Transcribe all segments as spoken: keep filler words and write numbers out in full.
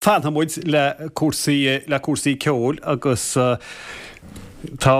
Fanfaidh muid le cúrsaí le cúrsaí ceoil agus tá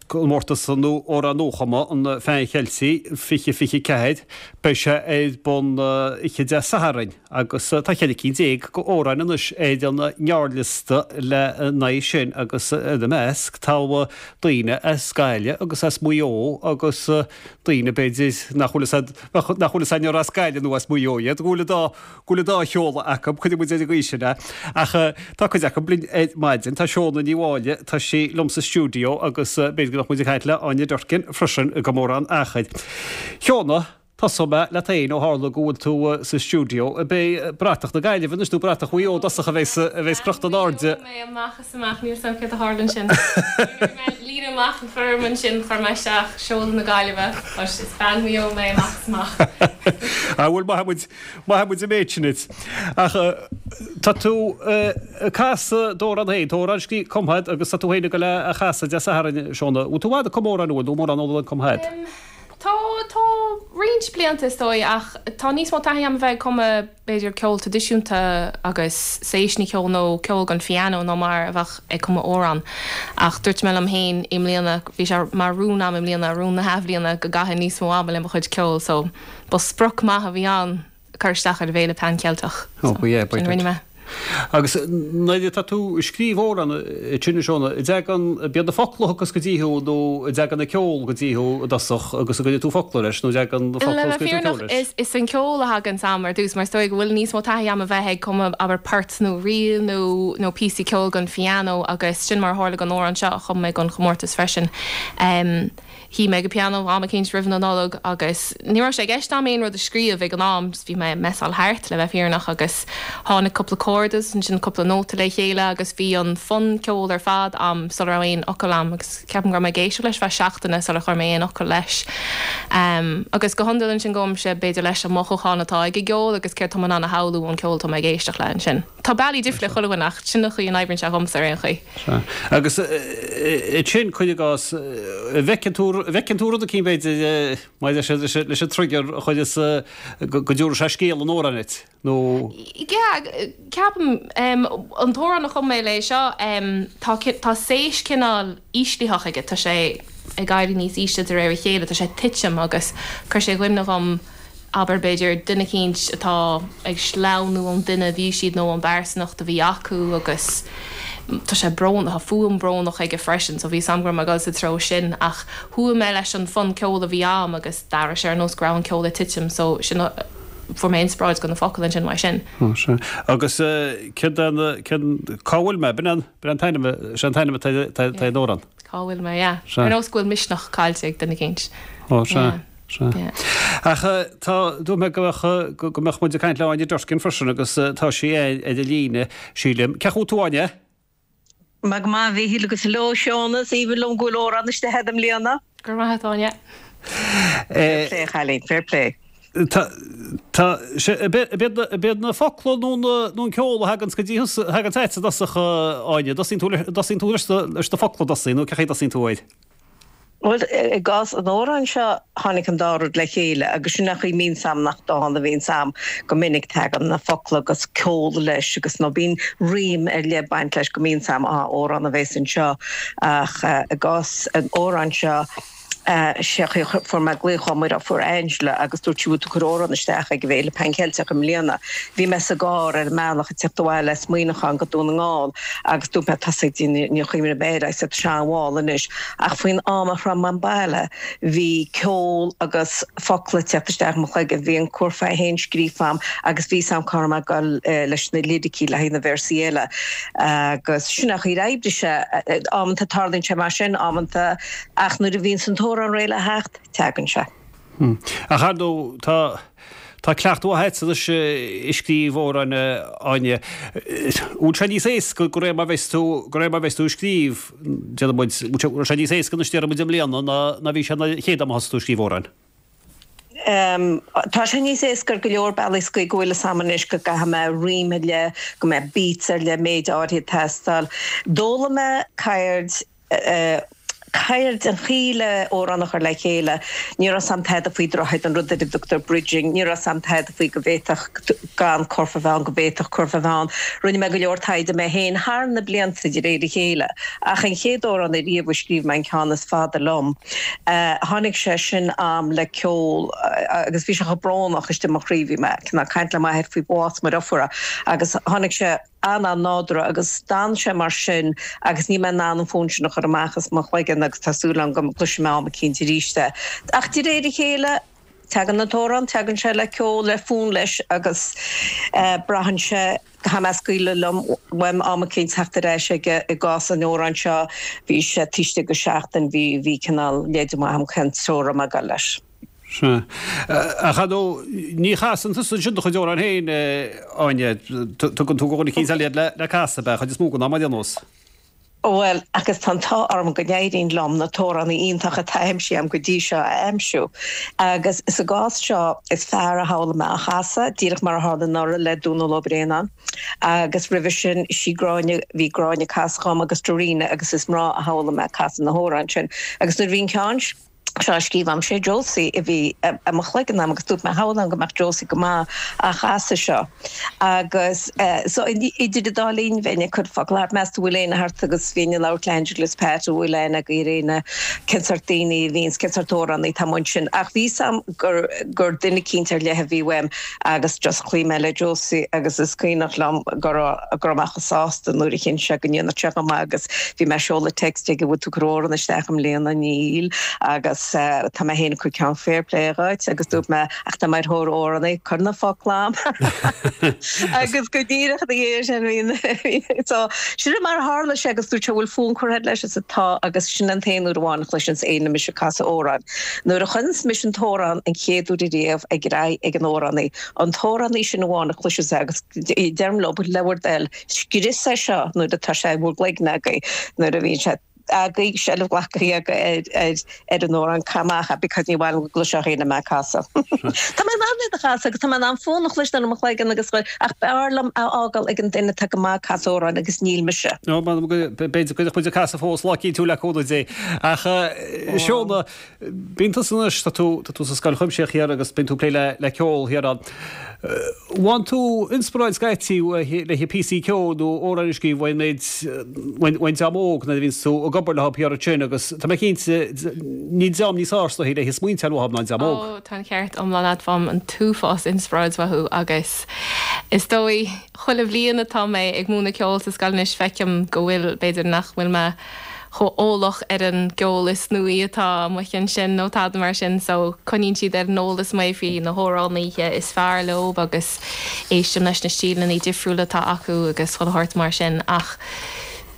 comórtas nó amhrán nuachumtha an Phean Cheiltigh fiche fiche ceathair. Beidh sé ar bun oíche Dé Sathairn agus tá ceithre cinn déag de amhráin anois ar an ngearrliosta le n-aghaidh sin agus ina measc tá daoine as Gaillimh agus as Maigh Eo agus daoine b'fhéidir nach bhfuil nach bhfuil a fhios againn ar as Gaillimh nó as Maigh Eo iad, go bhfuil an dá go bhfuil an dá sheoladh acu, cuirfidh muid ar an gcaoi sin é. Ach tá cuid acu linn ar maidin, tá Seóna Ní Mháille, tá sí liom sa stiúideo agus b'fhéidir go mbeadh muid ag caint le Áine Durkin freisin gan mórán achair. Sheóna, tosóidh mé leat féin ó tharla go bhfuil tú sa stiúideo. Ab é bratach na Gaillimhe anois nó bratach Mhaigh Eo i dtosach a bheas a bheas crochta in airde? Mé amach is amach, níl 's a'm céard a tharla ansin. Nuair a bhí mé ag líonadh amach an foirm ansin chuir mé isteach seoladh na Gaillimhe but is bean Mhaigh Eo mé amach is amach. Ah bhuel maithfidh muid maithfidh muid an méid sin duit. Ach tá tú ag casadh d'amhrán féin, tá amhrán scríofa cumtha agat agus tá tú féin ag dul é a chasadh Dé Sathairn, Seóna. Bhfuil tú i bhfad ag cumadh amhrán nó bhfuil mórán eolais cumtha agat? Tá, tá roinnt blianta is dóigh ach tá níos mó taithí agam a bheith ag cumadh b'fhéidir ceol traidisiúnta agus séiseanna ceoil nó ceol don phianó ná mar a bheadh ag cumadh amhrán. Ach dúirt mé liom féin i mbliana, bhí sé mar rún agam i mbliana, rún na hathbhliana go gcaithfinn níos mó ama le mo chuid ceoil so ba sprioc maith a bhí ann cur isteach ar an bhFéile Pan Cheilteach. Ó, ba ea, ba Sin a rinne mé. Agus nuair atá tú ag scríobh amhrán ansin a Shóna, an dtagann, ab iad na focla a thiocfas go dtí thú nó an dtagann an ceol go dtí thú i dtosach agus an gcuireann tú focla leis nó an dtagann na focla Le agus bheith cuireann tú ceol fírinneach, leis? is, is an ceol a thagann a'm ar dtús mar is dóigh go bhfuil níos mó taithí a'm a bheith ag cumadh abair port nó ríl nó, nó píosaí ceoil don phianó agus sin mar a tharla don amhrán seo a chum mé don chomórtas freisin. Um, Shuigh mé ag an pianó am eicínt roimh na Nollag agus ní raibh sé i gceist a'm aon rud a scríobh ag an am, just bhí mé ag messáil thart le bheith fírinneach agus tháinig cúpla chord agus ansin cúpla nóta le chéile agus bhí an fonn ceoil ar fad a'm sula raibh aon fhocal a'm agus ceapaim go raibh mé ag éisteacht leis feadh seachtaine sular chuir mé aon fhocal leis. Um, agus go hiondúil ansin gabhaimse b'fhéidir leis an mothúchán atá ag an gceol agus céard tá mé in ann a shamhlú ón ceol atá mé ag éisteacht le ansin. Tá bealaí difriúla chuile dhuine ach sin an chaoi a n-oibríonn sé dhomsa ar aon chaoi. Sea. Agus ansin, cuir i gcás, an bhfeiceann tú, an bhfeiceann tú rud eicínt b'fhéidir maidir leis an, leis an trigger a chuireas go dtabharfaidh sé scéal an amhráin duit, nó. Yeah, ceapaim, an t-amhrán a chum mé le seo, tá, tá séis cineál íslitheach aige, tá sé ag éirí níos ísle de réir a chéile, tá sé ag titim agus chuir sé i gcuimhne dhom, abair, b'fhéidir, duine eicínt atá ag sleamhnú ón duine a bhí siad nó ón bpearsanacht a bhí acu agus tá sé brónach, tá fuaim brónach aige freisin so bhí 'fhios a'm go raibh mé ag dul sa treo sin ach chuaigh mé leis an fonn ceoil a bhí a'm agus d'airigh sé ar nós go raibh an ceol ag titim so sin a fuair mé inspioráid do na focail ansin uaidh sin. Ó sea. Agus céard é an, céard, cá bhfuil mé? B'in an, b'in an t-ainm, sé an t-ainm atá ar an amhrán. Cá bhfuil mé, yeah. Sea. Ar nós go bhfuil misneach caillte ag duine eicínt. Ó sea. Yeah. Sea. Ach tá, dúirt mé go mbeadh, go mbeadh muid ag caint le Áine Durkin freisin agus tá sí ar an líne, sílim. Cén chaoi a bhfuil tú, Áine? Maith go maith, a Mhíchíl agus hello Seóna, is aoibhinn liom go bhfuil amhrán istigh agat i mbliana. Go raibh maith agat, Áine. Fair play, a chailín, fair play. Tá, tá, sé, ab iad, ab iad na focla nó na, nó an ceol a thaganns go dtí thusa, a thaganns agat i dtosach, Áine, dtosaíonn tú le, dtosaíonn tú leis na, leis na focla i dtosaí nó cén chaoi a dtosaíonn tú air? Bhuel, i gcás an amhráin seo, tháinig an dá rud le chéile agus sin an chaoi a mbíonns a'm nach dán a bhíonns a'm go minic, tagann na focla agus ceol leis agus nó bíonn rím ar leith ag baint leis go mbíonns a'm, á, amhrán a bhéas anseo. Ach i gcás an amhráin seo, sé an chaoi a fuair mé glaoch ó mo dheirfiúr Angela agus dúirt sí bhfuil tú ag cur amhrán isteach ag an bhFéile Pan Cheilteach i mbliana. Bhí mé sa gcarr ar an mbealach ag teacht abhaile as Muineachán go Dún na nGall agus dúirt mé tá sé níor chuimhnigh mé air I said tá sé an-mhall anois ach faoin am a shroich mé an baile bhí ceol agus focla ag teacht isteach i mo chloigeann, bhí an curfá féin scríofa a'm agus bhí 's a'm cá raibh mé ag dul leis na liricí le haghaidh na véarsaí eile agus sin an chaoi ar oibrigh sé. Amanta tarlaíonn sé mar sin, amanta ach nuair a bhíonns an t-amhrán réidh le theacht, teagann sé. Ach ar ndóigh tá tá cleachtadh mhaith agat anois ag scríobh amhráin, a Áine. Bhfuil sé níos éasca de réir mar bheas tú de réir mar bheas tú ag scríobh, déarfaidh muid, bhfuil sé níos éasca anois déarfaidh muid i mbliana ná ná bhí sé an chéad am a thosaigh tú ag scríobh amhráin? Tá sé níos éasca ar go leor bealaí sa gcaoi go bhfuil fhios a'm anois go gcaithfidh mé rím ar leith, go mbeidh beats ar leith, méid áirithe ag teastáil. D'fhoghlaim mé ceird ceird an chaoi le amhrán a chur le chéile, ní raibh 's a'm tada faoi droichead an rud ar a dtugtar bridging, ní raibh 's a'm tada faoi go bhféadfadh gan curfá a bheith ann, go bhféadfadh curfá a bheith ann. Rinne mé go leor taighde mé féin thar na blianta de réir a chéile, ach an chéad amhrán ariamh a scríobh mé an ceann is fada liom, tháinig sé sin a'm le ceol agus bhí sé chomh brónach istigh i mo chroí, bhí mé ag caint le m'athair faoi bhás mo dheirfiúra agus tháinig sé an-an-nádúrtha agus d'fhan sé mar sin agus níl mé in ann an fonn sin a chur amach as mo chloigeann agus tá súil agam go gcloisfidh mé am eicínt arís é. Ach de réir a chéile, tagann an t-amhrán, tagann sé le ceol, le fonn leis agus braitheann sé caithfidh mé a scaoileadh liom uaim am eicínt teacht ar ais aige i gcás an amhráin seo, bhí sé taobh istigh de sheachtain, bhí, bhí cineál leide maith agam cén treo a raibh mé ag dul leis. Sea. Ach ar ndóigh, ní chasann tusa ansin do chuid amhrán féin, Áine. Tugann tú go dhuine eicínt eile iad le casadh, ab ea, chuid is mó den am ar aon nós. Bhuel, agus tá an t-ádh orm go n-éiríonn liom na t-amhránaí iontacha atá aimsithe agam go dtí seo a aimsiú. Agus sa gcás seo, is fear a shamhlaigh mé á chasadh, díreach mar a tharla anuraidh le Dónal Ó Braonáin. Agus roimhe sin, sí Gráinne, bhí Gráinne ag casadh dhom agus Darina agus is mná a shamhlaigh mé ag casadh na hamhráin sin. Agus nuair a bhí an ceann. seo á scríobh a'm, sé Josie a bhí i mo chloigeann a'm agus dúirt mé shamhlóinn go mbeadh Josie go maith á chasadh seo agus so idir an dá linn bheinn ag cur focal thart, meas tú bhfuil éinne thart agus bhínn ag labhairt le Angela is Pat an bhfuil aithne agaibh ar éinne, cén sort daoine a bhíonns, cén sort amhránaí atá amuigh ansin ach bhí 's a'm gur gur duine eicínt ar leith a bhí uaim agus just chloígh mé le Josie agus is cuimhneach liom go raibh go raibh mé chomh sásta nuair a chinn sé go ndéanfadh sé go maith agus bhí mé ag seoladh text aige bhfuil tú ag cur amhrán isteach i mbliana níl agus tá mé féin ag cur ceann fair play dhuit agus dúirt mé ach tá mé ar thóir amhránaí cuir na focla a'm agus go díreach ina dhiaidh sin bhí so sin mar a tharla sé agus dúirt sé bhfuil fonn curtha agat leis is tá agus sin an t-aon uair amháin a chloiseanns éinne mise ag casadh amhráin. Nuair a chuireanns mise an t-amhrán an chéad uair ariamh ag aghaidh ag an amhránaí, an t-amhránaí sin amháin a chloiseas é agus deirim leo le bhur dtoil, scrios é seo nuair atá sé i bhur gcloigne agaibh nuair a bhíonn sé agaibh seilbh glactha agaibh ar ar an amhrán caith amach é because ní mhaith liom go gcloisfeadh éinne mé ag casadh. Tá mé in ann iad a chasadh agus tá mé in ann fonn a chloisteáil i mo chloigeann agus ach b'fhearr liom a fhágáil ag an duine atá go maith ag casadh amhráin agus níl mise. No, b'fhéidir go mbeadh muid ag casadh fós lá eicínt le cúnamh Dé. Ach Shona, bíonn tusa anois, tá tú tá tú sa scoil chuimsitheach thiar agus bíonn tú ag plé le le ceol thiar ann. Bhfaigheann tú inspioráid scaití le píosaí ceoil nó amhráin a scríobh ón méid ón dream óg nuair a bhíonns tú ag obair leo thiar ansin agus tá mé cinnte níl dream níos fearr is dóichí le smaointeáil uathu ná an dream óg. Ó, tá an ceart iomlán agat, faighim an t-uafás inspioráid uathu agus is dóigh chuile bhliain atá mé ag múineadh ceoil sa scoil anois feicim go bhfuil, b'fhéidir nach bhfuil mé chomh eolach ar an gceol is nuaí atá amuigh ansin nó tada mar sin so coinníonn siad ar an eolas mé faoi na hamhránaithe is fearr leo agus éistim leis na stíleanna difriúla atá acu agus chuile shórt mar sin ach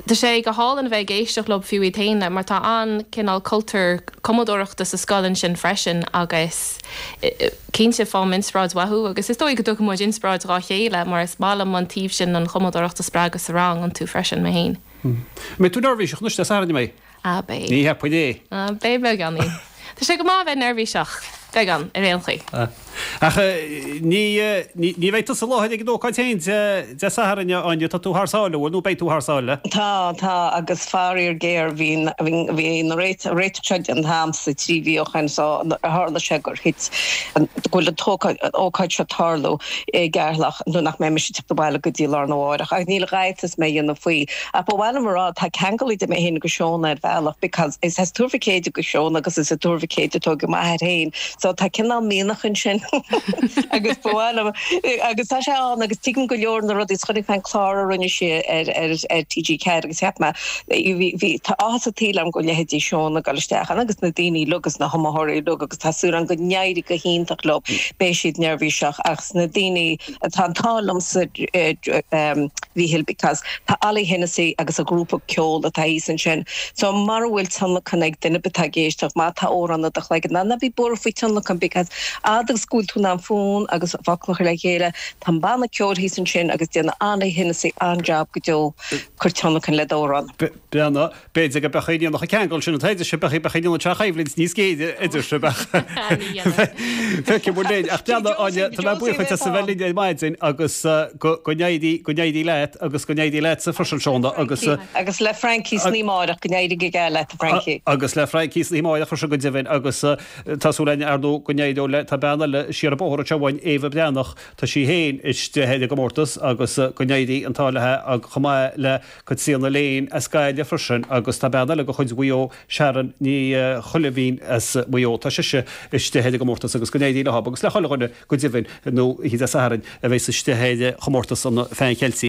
tá sé go hálainn a bheith ag éisteacht leo fiú iad féin mar tá an-cineál cultúr cumadóireachta sa scoil ansin freisin agus cinnte faighim inspioráid uathu agus is dóigh go dtugann muid inspioráid dhá chéile mar is maith liom an taobh sin an chumadóireacht a spreagadh sa rang iontu freisin mé féin. Mbeidh tú neirbhíseach anois Dé Sathairn, an mbeidh? Ah, beidh. Ní cheapfainn é. Ah, beidh beagáinín. Tá sé go maith a bheith neirbhíseach, beagán, ar aon chaoi. Ach ní, ní bheidh tusa i láthair ag an ócáid féin Dé Sathairn, a Áine, tá tú thar sáile, bhfuil, nó beidh tú thar sáile? Tá, tá, agus faraor géar, bhí, bhí na réiteach seo déanta a'msa trí mhí ó shoin so tharla sé gur thit, go bhfuil an t-ócáid seo ag tarlú i gCeatharlach nuair nach mbeidh mise ag teacht abhaile go dtí lá arna mháireach. Ach níl a dhath is mé a dhéanamh faoi. Ach ba mhaith liom a rá, tá ceangal idir mé féin agus Shona ar bhealach because is as Tuar Mhic Éadaigh do Shona agus is i dTuar Mhic Éadaigh a tógadh m'athair féin so tá cineál mianach ansin agus ba mhaith liom agus tá sé ann agus tuigim go leor na rudaí is chonaic mé an clár a rinne sí ar ar ar T G ceathair agus cheap mé bhí bhí tá áthas an tsaoil orm go bhfuil leithéidí Shona ag dul isteach ann agus na daoine uilig agus na hiomaitheoirí uilig agus tá súil agam go n-éireoidh go hiontach leo beidh siad neirbhíseach ach na daoine atá an t-ádh liomsa Mhíchíl because tá Ollie Hennessy agus a ghrúpa ceoil atá thíos ansin so mara bhfuil tionlacan ag duine ar bith atá ag éisteacht má tá amhrán i do chloigeann ná ná bí buartha faoi tionlacan because fhad agus go bhfuil tú in ann fonn agus focla a chur le chéile tá an banna ceoil thíos ansin agus déanann Ollie Hennessy an-job go deo cuir tionlacan le d'amhrán. Breathnaigh, b'fhéidir go mbeadh aon an ceangal sin an t-éide seo, beadh beadh aon teach choimhlint níos géire idir sibh ach feicfidh muid linn. Ach breathnaigh, Áine, tá mé buíoch duit as a bheith linn ar maidin agus go go n-éirí go n-éirí leat. leat agus go n-éirí leatsa freisin Shona agus Agus le Frankie san oíche amárach go n-éirí go geal leat Frankie. Agus le Frankie san oíche amárach freisin go deimhin agus tá súil againn ar ndóigh go n-éireoidh le tá bean eile siar an bóthar anseo uainn Éabha Breathnach tá sí féin istigh ar an gcomórtas agus go n-éirí an t-ádh léi ag chomh maith le Caitríona Lane as Gaillimh freisin agus tá bean eile de chuid Mhaigh Eo Sharon Ní Choileamhín as Maigh Eo tá sise istigh ar an gcomórtas agus go n-éirí leo agus le chuile dhuine go deimhin nó oíche Dé Sathairn a bheas istigh ar chomórtas an Phean Cheiltigh.